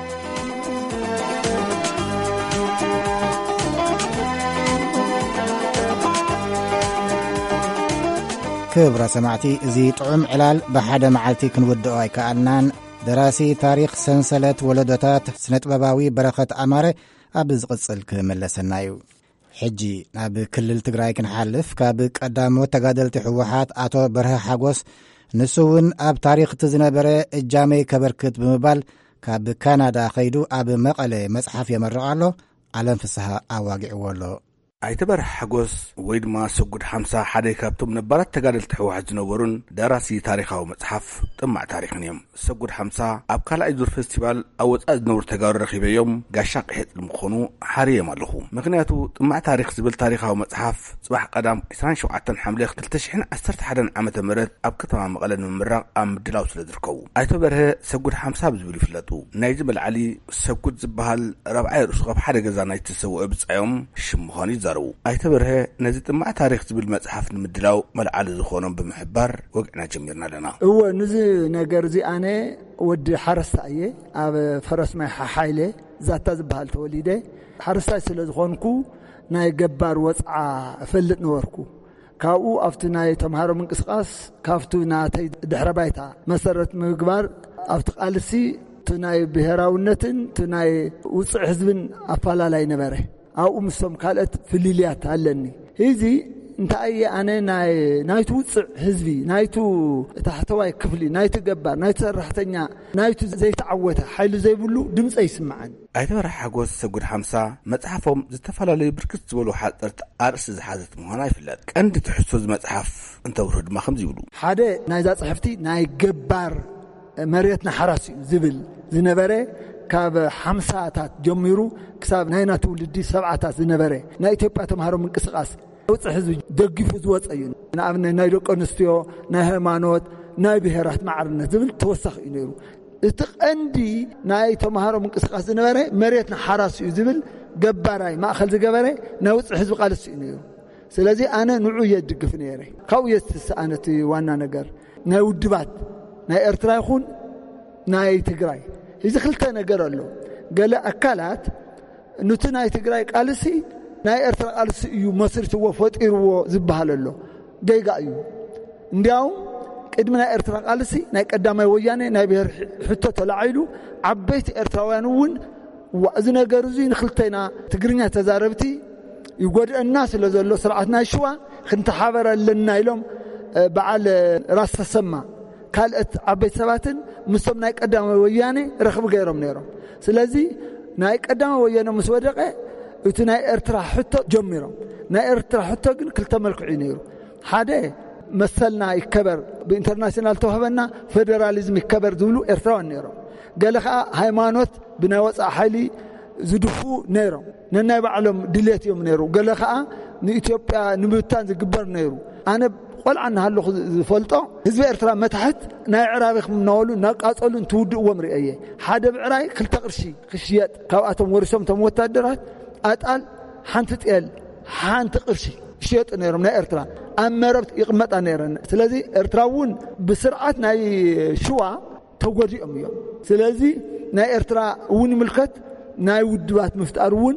ክብራ ሰማዕቲ፣ እዚ ጥዑም ዕላል ብሓደ መዓልቲ ክንውድኦ ኣይከኣልናን። ደራሲ ታሪኽ ሰንሰለት ወለዶታት ስነጥበባዊ በረኸት ኣማረ ኣብ ዝቕጽል ክምለሰና እዩ። ሕጂ ናብ ክልል ትግራይ ክንሓልፍ፣ ካብ ቀዳሞት ተጋደልቲ ህወሓት ኣቶ በርሀ ሓጎስ፣ ንሱ እውን ኣብ ታሪኽ እቲ ዝነበረ እጃመይ ከበርክት ብምባል ካብ ካናዳ ኸይዱ ኣብ መቐለ መጽሓፍ የመርቕ ኣሎ። ዓለም ፍስሃ ኣዋጊዕዎ ኣሎ። ኣይተ በርሀ ሓጎስ ወይ ድማ ሰጉድ ሓምሳ ሓደ ካብቶም ነባራት ተጋደልቲ ህወሓት ዝነበሩን ደራሲ ታሪኻዊ መጽሓፍ ጥማዕ ታሪኽን እዮም። ሰጉድ ሓምሳ ኣብ ካልኣይ ዙር ፌስቲቫል ኣብ ወጻኢ ዝነብሩ ተጋሩ ረኺበዮም ጋሻ ቅሒጥ ንምኾኑ ሓርዮም ኣለኹ። ምኽንያቱ ጥማዕ ታሪኽ ዝብል ታሪኻዊ መጽሓፍ ጽባሕ ቀዳም ዕስራን ሸውዓተን ሓምለ ክልተ ሽሕን ዓሰርተ ሓደን ዓመተ ምህረት ኣብ ከተማ መቐለ ንምምራቕ ኣብ ምድላው ስለ ዝርከቡ። ኣይተ በርሀ ሰጉድ ሓምሳ ብዝብል ይፍለጡ። ናይዚ መልዓሊ ሰጉድ ዝበሃል ራብዓይ ርእሱ ካብ ሓደ ገዛ ናይቲ ዝሰውአ ብጻዮም ሽም ምዃኑ ይዛረቡ። ኣይተ በርሀ ነዚ ጥማዕ ታሪኽ ዝብል መጽሓፍ ንምድላው መልዓሊ ዝኾኖም ብምሕባር ወግዕና ጀሚርና ኣለና። እወ፣ ንዚ ነገር እዚ ኣነ ወዲ ሓረስታይ እየ። ኣብ ፈረስ ማይ ሓሓይለ ዛታ ዝበሃል ተወሊደ። ሓረስታይ ስለ ዝኾንኩ ናይ ገባር ወጽዓ እፈልጥ ነበርኩ። ካብኡ ኣብቲ ናይ ተምሃሮ ምንቅስቃስ ካብቲ ናተይ ድሕረ ባይታ መሰረት ምግባር ኣብቲ ቃልሲ እቲ ናይ ብሔራውነትን እቲ ናይ ውፅዕ ህዝብን ኣፋላላይ ነበረ። ኣብኡ ምስቶም ካልኦት ፍልልያት ኣለኒ። እዚ እንታይ እየ ኣነ ናይ ናይቲ ውፅዕ ህዝቢ፣ ናይቲ ታሕተዋይ ክፍሊ፣ ናይቲ ገባር፣ ናይቲ ሰራሕተኛ፣ ናይቲ ዘይተዓወተ ሓይሊ ዘይብሉ ድምፀ ይስምዓኒ። ኣይተ በርሀ ሓጎስ ሰጉድ ሓምሳ መጽሓፎም ዝተፈላለዩ ብርክት ዝበሉ ሓጸርቲ ኣርእስቲ ዝሓዘት ምዃና ይፍለጥ። ቀንዲ ትሕዝቶ እዚ መጽሓፍ እንተብርሁ ድማ ከምዚ ይብሉ። ሓደ ናይዛ ጽሕፍቲ ናይ ገባር መሬትና ሓራስ እዩ ዝብል ዝነበረ ካብ ሓምሳታት ጀሚሩ ክሳብ ናይና ትውልዲ ሰብዓታት ዝነበረ ናይ ኢትዮጵያ ተምሃሮ ምንቅስቃስ ውፅዕ ህዝቢ ደጊፉ ዝወፀ እዩ። ንኣብነት ናይ ደቂ ኣንስትዮ፣ ናይ ሃይማኖት፣ ናይ ብሔራት ማዕርነት ዝብል ተወሳኺ እዩ ነይሩ። እቲ ቀንዲ ናይ ተምሃሮ ምንቅስቃስ ዝነበረ መሬትና ሓራስ እዩ ዝብል ገባራይ ማእኸል ዝገበረ ናይ ውፅዕ ህዝቢ ቃልሲ እዩ ነይሩ። ስለዚ ኣነ ንዑ እየ ድግፍ ነይረ። ካብኡ እየ ዝትስኣነ እቲ ዋና ነገር ናይ ውድባት ናይ ኤርትራ ይኹን ናይ ትግራይ። እዚ ክልተ ነገር ኣሎ። ገለ ኣካላት ኑቲ ናይ ትግራይ ቃልሲ ናይ ኤርትራ ቃልሲ እዩ መስሪትዎ ፈጢርዎ ዝበሃል ኣሎ። ጌጋ እዩ። እንዲያውም ቅድሚ ናይ ኤርትራ ቃልሲ ናይ ቀዳማይ ወያነ ናይ ብሔር ሕቶ ተላዒሉ ዓበይቲ ኤርትራውያን እውን ዋ፣ እዚ ነገር እዚ ንክልተና ትግርኛ ተዛረብቲ ይጎድአና ስለ ዘሎ ስርዓት ናይ ሽዋ ክንተሓበር ኣለና ኢሎም በዓል ራስ ተሰማ ካልኦት ዓበይቲ ሰባትን ምስቶም ናይ ቀዳማይ ወያነ ረኽቢ ገይሮም ነይሮም። ስለዚ ናይ ቀዳማይ ወያነ ምስ ወደቐ እቲ ናይ ኤርትራ ሕቶ ጀሚሮም። ናይ ኤርትራ ሕቶ ግን ክልተ መልክዑ እዩ ነይሩ። ሓደ መሰልና ይከበር፣ ብኢንተርናሽናል ተዋህበና ፌደራሊዝም ይከበር ዝብሉ ኤርትራውያን ነይሮም። ገለ ከዓ ሃይማኖት ብናይ ወፃኢ ሓይሊ ዝድፉ ነይሮም። ነናይ ባዕሎም ድሌት እዮም ነይሩ። ገለ ከዓ ንኢትዮጵያ ንምብታን ዝግበር ነይሩ። ኣነ ቆልዓ እናሃለኹ ዝፈልጦ፣ ህዝቢ ኤርትራ መታሕት ናይ ዕራቢ ከም እናበሉ እናቃጸሉ እንትውድእዎም ርእየ። ሓደ ብዕራይ ክልተ ቅርሺ ክሽየጥ፣ ካብኣቶም ወሪሶም እቶም ወታደራት፣ ኣጣል ሓንቲ ጤል ሓንቲ ቅርሺ ይሽየጡ ነይሮም። ናይ ኤርትራ ኣብ መረብ ይቕመጣ ነይረን። ስለዚ ኤርትራ እውን ብስርዓት ናይ ሽዋ ተጎዲኦም እዮም። ስለዚ ናይ ኤርትራ እውን ይምልከት፣ ናይ ውድባት ምፍጣር እውን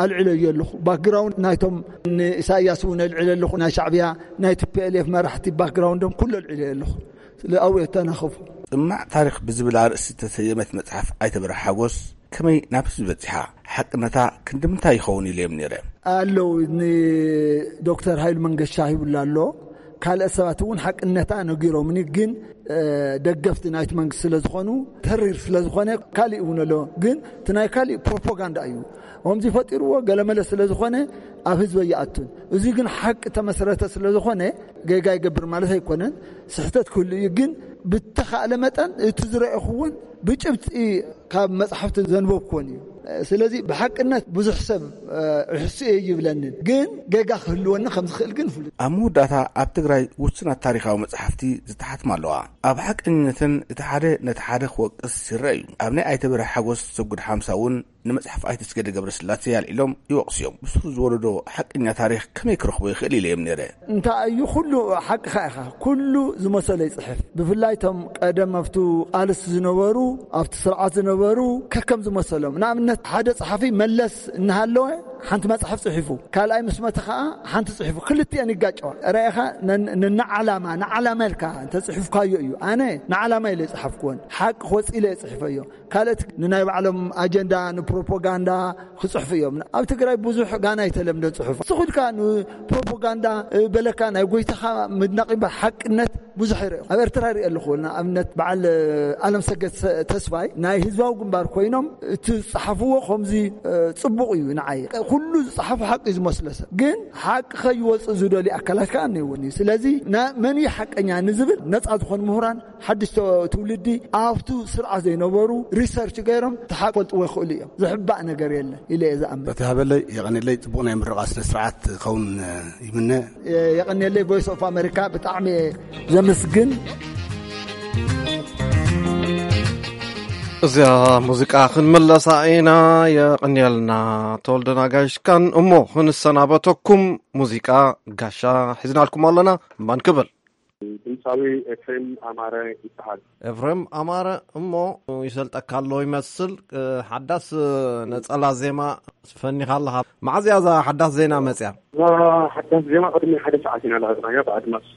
ኣልዕለዮ ኣለኹ። ባክግራውንድ ናይቶም ንኢሳያስ እውን ኣልዕለ ኣለኹ፣ ናይ ሻዕብያ፣ ናይ ቲ ፒ ኤል ኤፍ መራሕቲ ባክግራውንዶም ኩሉ ኣልዕለዮ ኣለኹ። ስለ ኣብኡ የተናኸፉ። ጥማዕ ታሪኽ ብዝብል ኣርእስቲ ዝተሰየመት መጽሓፍ ኣይተ በርሀ ሓጎስ ከመይ ናብ ህዝቢ በጺሓ? ሓቅነታ ክንዲ ምንታይ ይኸውን ኢለ እዮም ነይረ። ኣለዉ፣ ንዶክተር ሃይሉ መንገሻ ሂቡላ ኣሎ። ካልኦት ሰባት እውን ሓቅነታ ነጊሮምኒ፣ ግን፣ እ፣ ደገፍቲ ናይቲ መንግስቲ ስለ ዝኾኑ፣ ተሪር ስለ ዝኾነ፣ ካሊእ እውን ኣሎ። ግን እቲ ናይ ካሊእ ፕሮፓጋንዳ እዩ። ከምዚ ፈጢርዎ ገለመለ ስለ ዝኾነ፣ ኣብ ህዝቢ ኣይኣቱን። እዚ ግን ሓቂ ተመስረተ ስለ ዝኾነ፣ ጌጋ ይገብር ማለት ኣይኮነን። ስሕተት ክህሉ እዩ፣ ግን ብተኻእለ መጠን እቲ ዝረኣኹዎን ብጭብጢ ካብ መጽሓፍቲ ዘንበብኩዎን እዩ። ስለዚ ብሓቅነት ብዙሕ ሰብ፣ እ፣ ርሕስኡ ይብለንን፣ ግን ጌጋ ክህልወኒ ከም ዝኽእል ግን ፍሉጥ። ኣብ መወዳእታ ኣብ ትግራይ ውሱናት ታሪኻዊ መጽሓፍቲ ዝተሓትማ ኣለዋ። ኣብ ሓቀኝነትን እቲ ሓደ ነቲ ሓደ ክወቅስ ይረአ እዩ። ኣብ ናይ ኣይተ በርሀ ሓጎስ ሰጉድ ሓምሳ እውን ንመጽሓፍ ኣይተ ኣስገደ ገብረስላሴ ኣልዒሎም ይወቕሱ እዮም። ብሱ ዝወለዶ ሓቀኛ ታሪኽ ከመይ ክረኽቦ ይኽእል ኢለ እዮም ነይረ። እንታይ እዩ ኩሉ ሓቅኻ ኢኻ፣ ኩሉ ዝመሰሎ ይጽሕፍ። ብፍላይ እቶም ቀደም ኣብቱ ቃልስ ዝነበሩ፣ ኣብቲ ስርዓት ዝነበሩ ከከም ዝመሰሎም። ንኣብነት ሓደ ጸሓፊ መለስ እናሃለወ ሓንቲ መጽሓፍ ጽሒፉ፣ ካልኣይ ምስ መተ ኸዓ ሓንቲ ጽሒፉ፣ ክልቲአን ይጋጨዋ። ራኢኻ ነን-፣ ነንዓላማ፣ ንዓላማ ኢልካ እንተጽሒፍካዮ እዩ። ኣነ ንዓላማ ኢለ ይጽሓፍኩወን፣ ሓቂ ክወጽእ ኢለ እየ ጽሒፈዮ። ካልኦት ንናይ ባዕሎም ኣጀንዳ፣ ንፕሮፓጋንዳ ክጽሕፉ እዮም። ኣብ ትግራይ ብዙሕ ጋና ኣይተለምደን ጽሑፍ። ንስኹ ኢልካ ንፕሮፓጋንዳ፣ እ፣ በለካ ናይ ጎይታኻ ምድናቕ እምበር ሓቅነት ብዙሕ ይርአ። ኣብ ኤርትራ ይርአ ኣለኹ። ንኣብነት በዓል፣ እ፣ ኣለም ሰገድ ሰ-፣ ተስፋይ ናይ ህዝባዊ ግንባር ኮይኖም እቲ ዝጸሓፍዎ ከምዚ፣ እ፣ ጽቡቕ እዩ ንዓይ። ኩሉ ዝጸሓፎ ሓቂ እዩ ዝመስሎ ሰብ። ግን ሓቂ ከይወጽእ ዝደልዩ ኣካላት ከኣ እኒአውን እዩ። ስለዚ ና-፣ መን እዩ ሓቀኛ ንዝብል ነጻ ዝኾኑ ምሁራን ሓድሽ ተ-፣ ትውልዲ ኣብቱ ስርዓት ዘይነበሩ ሪሰርች ገይሮም ተሓፈልጥዎ ይኽእሉ እዮም። ዝሕባእ ነገር የለን ኢለ እየ ዝኣምን። በቲ ሃበለይ የቐንየለይ፣ ጽቡቕ ናይ ምርቓ ስነ ስርዓት ክኸውን ይምነ። የ-፣ የቐንየለይ። ቮይስ ኦፍ ኣሜሪካ ብጣዕሚ እየ ዘመስግን። እዚኣ ሙዚቃ ክንምለሳ ኢና። የቐንየልና ተወልደ ናጋሽካን። እሞ ክንሰናበተኩም ሙዚቃ ጋሻ ሒዝናልኩም ኣለና። እምባን ክብል ድምፃዊ ኤፍሬም ኣማረ ይበሃል። ኤፍሬም ኣማረ እሞ ይሰልጠካ ኣሎ ይመስል። እ፣ ሓዳስ ነጸላ ዜማ ፈኒኻ ኣለኻ። መዓዝ እያ እዛ ሓዳስ ዜና መጽያ? እዛ ሓዳስ ዜማ ቅድሚ ሓደ ሰዓት ኢና ለቐቕናያ። ብኣድማስ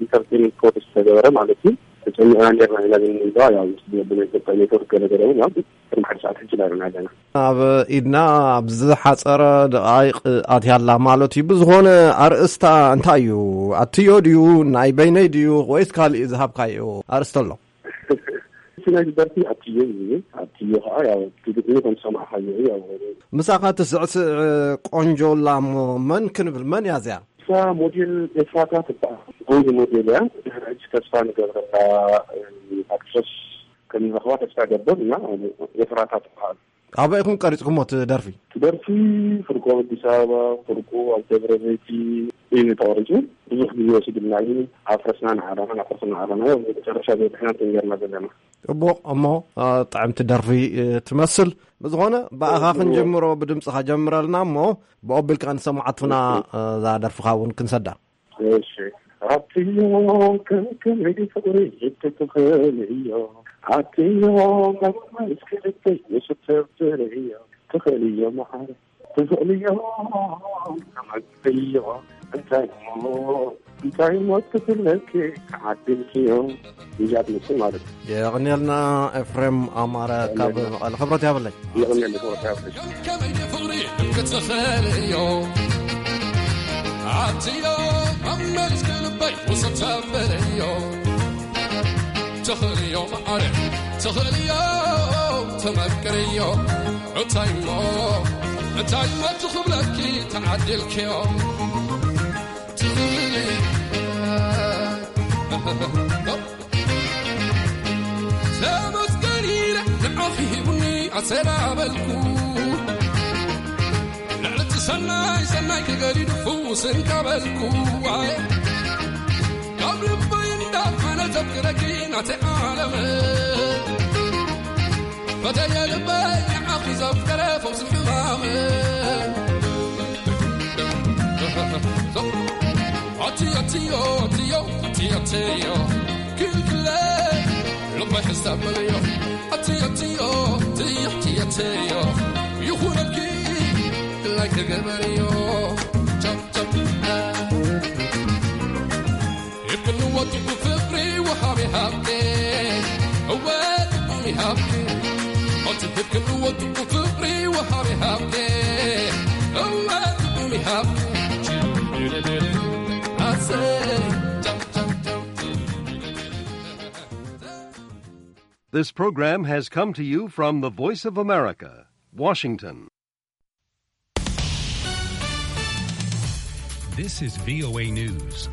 ኢንተርቴይንመንት ፕሮዲስ ዝተገበረ ማለት እዩ። ተጨሚቕና ነርና ኢና ግን እዛ ያው ብናይ ኢትዮጵያ ኔትወርክ ገለ ገለ እውን ያው ቅድሚ ሓደ ሰዓት ሕጂ ኢና ኣለና። ኣብ ኢድና ኣብ ዝሓጸረ ደቓይቕ ኣትያ ኣላ ማለት እዩ። ብዝኾነ ኣርእስታ እንታይ እዩ? ኣትዮ ድዩ? ናይ በይነይ ድዩ? ወይስ ካልእ ዝሃብካዮ ኣርእስቲ ኣሎ? እቲ ናይ ደርፊ ኣትዮ እዩ። ኣትዮ ከዓ ያው እቲ ግጥሚ ከም ሰማዕካዮ እዩ። ያው ምሳኻ ትስዕስዕ ቆንጆ ኣላ እሞ መን ክንብል? መን እያ እዚኣ? እሳ ሞዴል ኤፍራታ ትበሃል። ቆንጆ ሞዴል እያ። ድሕሪ ሕጂ ተስፋ ንገብረላ ኣክትረስ ከም ንረኽባ ተስፋ ይገብር እና ኤፍራታ ትበሃል። ኣበይ ኢኹም ቀሪጽኩሞ እቲ ደርፊ? እቲ ደርፊ ፍርቁ ኣብ ኣዲስ ኣበባ፣ ፍርቁ ኣብ ደብረ ዘይቲ እዩ ተቐሪጹ። ብዙሕ ግዜ ወሲዱልና እዩ። ኣፍረስና ንዓዳና፣ ኣፍረስና ንዓዳና። ያው መጨረሻ በጺሕና እንትን ጌርና ዘለና። ጽቡቕ። እሞ፣ እ፣ ጥዕምቲ ደርፊ፣ እ፣ ትመስል። ብዝኾነ፣ ብኣኻ ጽቡቕ። ክንጅምሮ፣ ብድምጽኻ ጀምረልና እሞ፣ ብኦቢልካ ንሰማዓትና፣ እ፣ እዛ ደርፍኻ እውን ክንሰዳ። እሺ። ኣትዮ ከም ከመይ ፍቕሪ ትኽእልዮ፣ ኣትዮ መማስ ክልተይ ውስድ ሰብ ትርእዮ፣ ትኽእልዮ መዓረ፣ ትኽእልዮ ተመክርዮ፣ እንታይ እሞ፣ እንታይ እሞ ትብለኪ ተዓዲልክዮ። እዚኣ ትመስል ማለት እዩ። የቐንየልና ኤፍሬም ኣማረ ካብ መቐለ። ክብረት ያብለይ። የቐንየልና ክብረት ያብለይ። ከመይ ፍቕሪ ክትኽእልዮ፣ ኣትዮ መመልስ ክልበይ ውስድ ተብልዮ፣ ትኽእልዮ መዓረ፣ ትኽእልዮ ተመክርዮ፣ እንታይ እሞ፣ እንታይ እሞ ትኽብለኪ ተዓዲልክዮ። ትኽእሊ ተመስገን ኢለ ንዓኺ ሂቡኒ ኣሰላበልኩ። ልዕሊ እቲ ሰናይ ሰናይ ክገዲዱ ፍውስ እንካ በልኩ። ኣየ ረኪናተ ዓለም ፈተየ ልበይ ንዓኺ ዘፍቀረ ፈውሲ ሕማም ኣትዮ ኣትዮ ኣትዮ ኣትዮ ኣትዮ ክልክለ ልበይ ሕሳብ በልዮ ኣትዮ ኣትዮ ኣትዮ ኣትዮ ኣትዮ ይኹነልኪ ግላይ ክገበርዮ ቻፕ ቻፕ ይብክንዎ ጥዑም ፍቕሪ ወሃቢ ሃብቴ እወ ጥዑም ይሃብቴ ኣቲ ይብክንዎ ጥዑም ፍቕሪ ወሃቢ ሃብቴ እወ ጥዑም ይሃብቴ ኣሰይ This program has come to you from the Voice of America, Washington. This is V O A News.